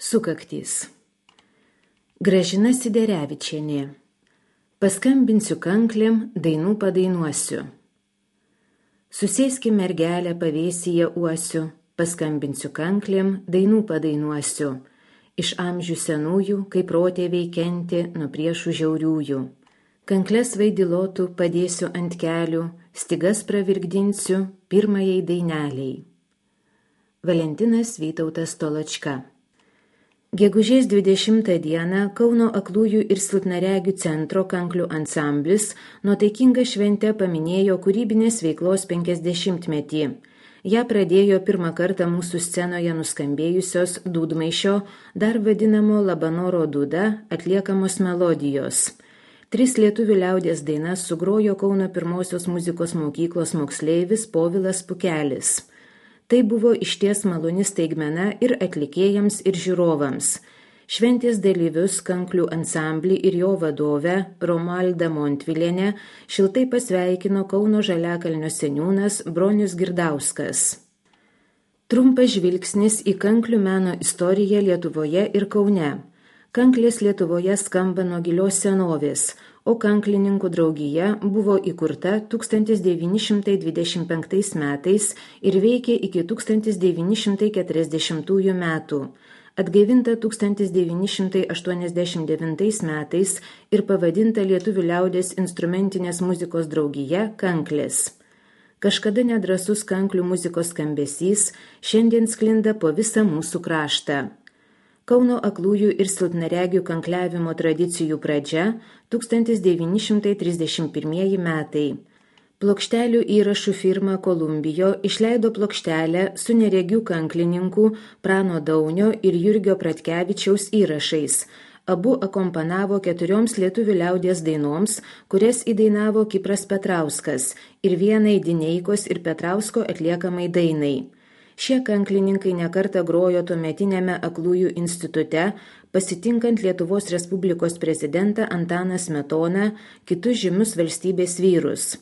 Sukaktys. Gražina Siderevičienė. Paskambinsiu kanklėm, dainų padainuosiu. Susėski mergelę pavėsyje uosiu, paskambinsiu kanklėm, dainų padainuosiu. Iš amžių senųjų, kaip protėviai kenti nuo priešų žiauriųjų. Kankles vaidilotų padėsiu ant kelių, stygas pravirgdinsiu pirmajai daineliai. Valentinas Vytautas Toločka. Gegužės 20 dieną Kauno aklųjų ir silpnaregių centro kanklių ansamblis nuotaikingą šventę paminėjo kūrybinės veiklos 50-metį. Ja pradėjo pirmą kartą mūsų scenoje nuskambėjusios dūdmaišio, dar vadinamo Labanoro dūda, atliekamos melodijos. 3 lietuvių liaudies dainas sugrojo Kauno pirmosios muzikos mokyklos moksleivis Povilas Pukelis. Tai buvo išties maloni staigmena ir atlikėjams, ir žiūrovams. Šventės dalyvius kanklių ansamblį ir jo vadovę Romualdą Montvilienę šiltai pasveikino Kauno Žaliakalnio seniūnas Bronius Girdauskas. Trumpas žvilgsnis į kanklių meno istoriją Lietuvoje ir Kaune. Kanklės Lietuvoje skamba nuo gilios senovės, o kanklininkų draugija buvo įkurta 1925 metais ir veikė iki 1940 metų. Atgaivinta 1989 metais ir pavadinta Lietuvių liaudies instrumentinės muzikos draugija Kanklės. Kažkada nedrąsus kanklių muzikos skambesys šiandien sklinda po visą mūsų kraštą. Kauno aklųjų ir silpnaregių kankliavimo tradicijų pradžia 1931 metai. Plokštelių įrašų firma Kolumbijo išleido plokštelę su neregių kanklininkų Prano Daunio ir Jurgio Pratkevičiaus įrašais. Abu akompanavo 4 lietuvių liaudies dainoms, kurias įdainavo Kipras Petrauskas, ir vienai Dineikos ir Petrausko atliekamai dainai. Šie kanklininkai nekartą grojo tuometiniame aklųjų institute, pasitinkant Lietuvos Respublikos prezidentą Antaną Smetoną, kitus žymius valstybės vyrus.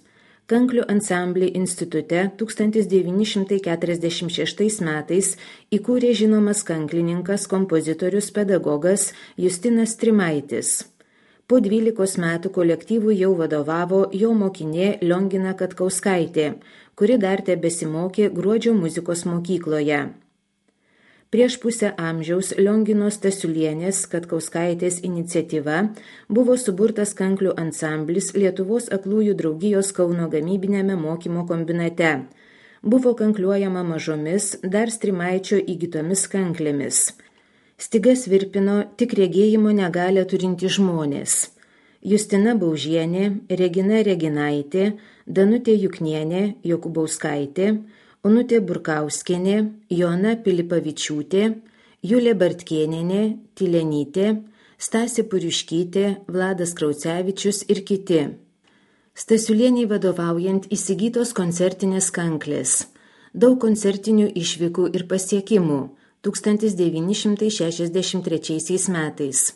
Kanklių ansamblį institute 1946 metais įkūrė žinomas kanklininkas, kompozitorius, pedagogas Justinas Trimaitis. Po 12 metų kolektyvui jau vadovavo jo mokinė Liongina Katkauskaitė, kuri dar tebesimokė Gruodžio muzikos mokykloje. Prieš pusę amžiaus Lionginos Stasiulienės Katkauskaitės iniciatyva buvo suburtas kanklių ansamblis Lietuvos aklųjų draugijos Kauno gamybinėme mokymo kombinate. Buvo kankliuojama mažomis, dar Strimaičio įgytomis kanklėmis. Stygas virpino tik regėjimo negalią turinti žmonės. Justina Baužienė, Regina Reginaitė, Danutė Juknienė, Jokubauskaitė, Onutė Burkauskienė, Joana Pilipavičiūtė, Julė Bartkėnienė, Tylenytė, Stasė Puriškytė, Vladas Kraucevičius ir kiti. Stasiulieniai vadovaujant įsigytos koncertinės kanklės. Daug koncertinių išvykų ir pasiekimų. 1963 metais.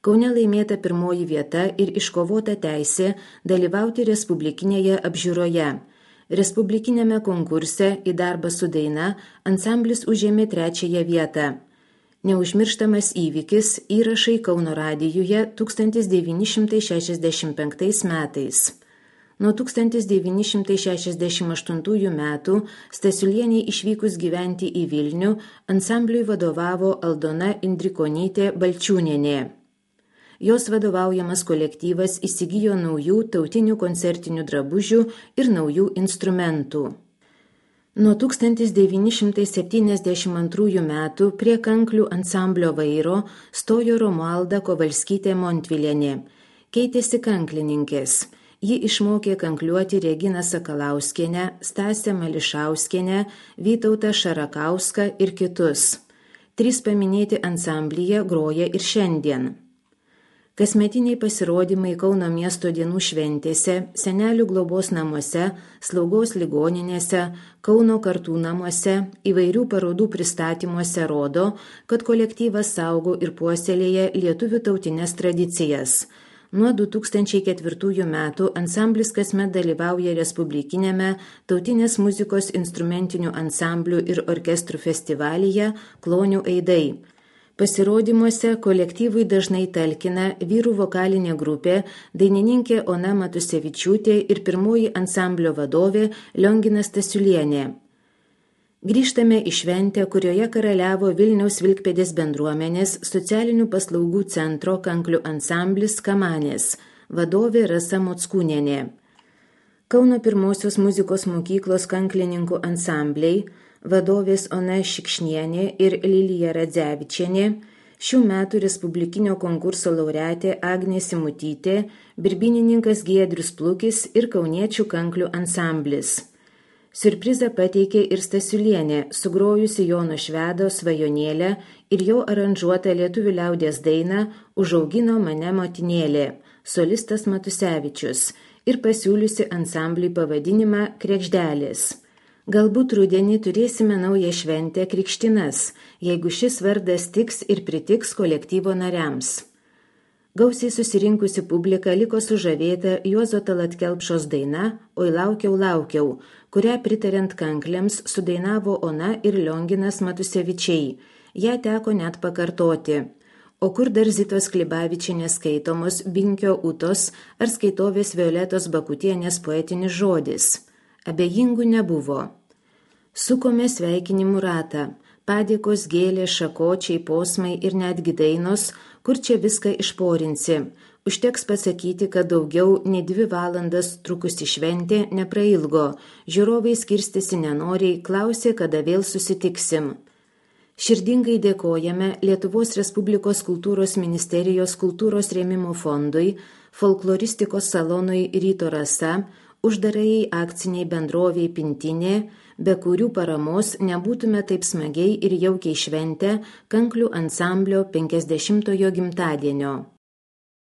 Kaune laimėta 1 vieta ir iškovota teisė dalyvauti respublikinėje apžiūroje. Respublikinėme konkurse į darbą su daina ansamblis užėmė 3 vietą. Neužmirštamas įvykis – įrašai Kauno radijuje 1965 metais. Nuo 1968 metų Stasiulieniai išvykus gyventi į Vilnių ansambliui vadovavo Aldona Indrikonytė Balčiūnienė. Jos vadovaujamas kolektyvas įsigijo naujų tautinių koncertinių drabužių ir naujų instrumentų. Nuo 1972 metų prie kanklių ansamblio vairo stojo Romualda Kovalskytė Montvilienė. Keitėsi kanklininkės. Ji išmokė kankliuoti Reginą Sakalauskienę, Stasę Mališauskienę, Vytautą Šarakauską ir kitus. 3 paminėti ansamblyje groja ir šiandien. Kasmetiniai pasirodymai Kauno miesto dienų šventėse, senelių globos namuose, slaugos ligoninėse, Kauno kartų namuose, įvairių parodų pristatymuose rodo, kad kolektyvas saugo ir puoselėja lietuvių tautinės tradicijas. Nuo 2004 metų ansamblis kasmet dalyvauja Respublikinėme tautinės muzikos instrumentinių ansamblių ir orkestrų festivalyje Klonių aidai. Pasirodymuose kolektyvui dažnai talkina vyrų vokalinė grupė, dainininkė Ona Matusevičiūtė ir pirmoji ansamblio vadovė Lionginas Stasiulienė. Grįžtame į šventę, kurioje karaliavo Vilniaus Vilkpėdės bendruomenės socialinių paslaugų centro kanklių ansamblis Kamanės, vadovė Rasa Mockūnienė. Kauno pirmosios muzikos mokyklos kanklininkų ansambliai, vadovės Ona Šikšnienė ir Lilija Radzevičienė, šių metų respublikinio konkurso laureatė Agnė Simutytė, birbynininkas Giedrius Plukis ir kauniečių kanklių ansamblis. Siurprizą pateikė ir Stasiulienė, sugrojusi Jono Švedo Svajonėlę ir jo aranžuotą lietuvių liaudies dainą Užaugino mane motinėlė, solistas Matusevičius, ir pasiūliusi ansambliui pavadinimą Kregždelės. Galbūt rudenį turėsime naują šventę Krikštinas, jeigu šis vardas tiks ir pritiks kolektyvo nariams. Gausiai susirinkusi publika liko sužavėta Juozo Tallat Kelpšos daina Oi laukiau, laukiau, kurią pritariant kankliams sudainavo Ona ir Lionginas Matusevičiai. Ją teko net pakartoti. O kur dar Zitos Klibavičienės skaitomos Binkio Utos ar skaitovės Violetos Bakutienės poetinis žodis? Abejingų nebuvo. Sukome sveikinimų ratą. Padėkos, gėlės, šakočiai, posmai ir netgi dainos, kur čia viską išporinsi. Užteks pasakyti, kad daugiau nei 2 valandas trukusi šventė neprailgo. Žiūrovai skirstėsi nenoriai, klausė, kada vėl susitiksim. Širdingai dėkojame Lietuvos Respublikos kultūros ministerijos kultūros rėmimo fondui, folkloristikos salonui Ryto Rasa, uždarajai akciniai bendroviai Pintinė, be kurių paramos nebūtume taip smagiai ir jaukiai šventę kanklių ansamblio 50-ojo gimtadienio.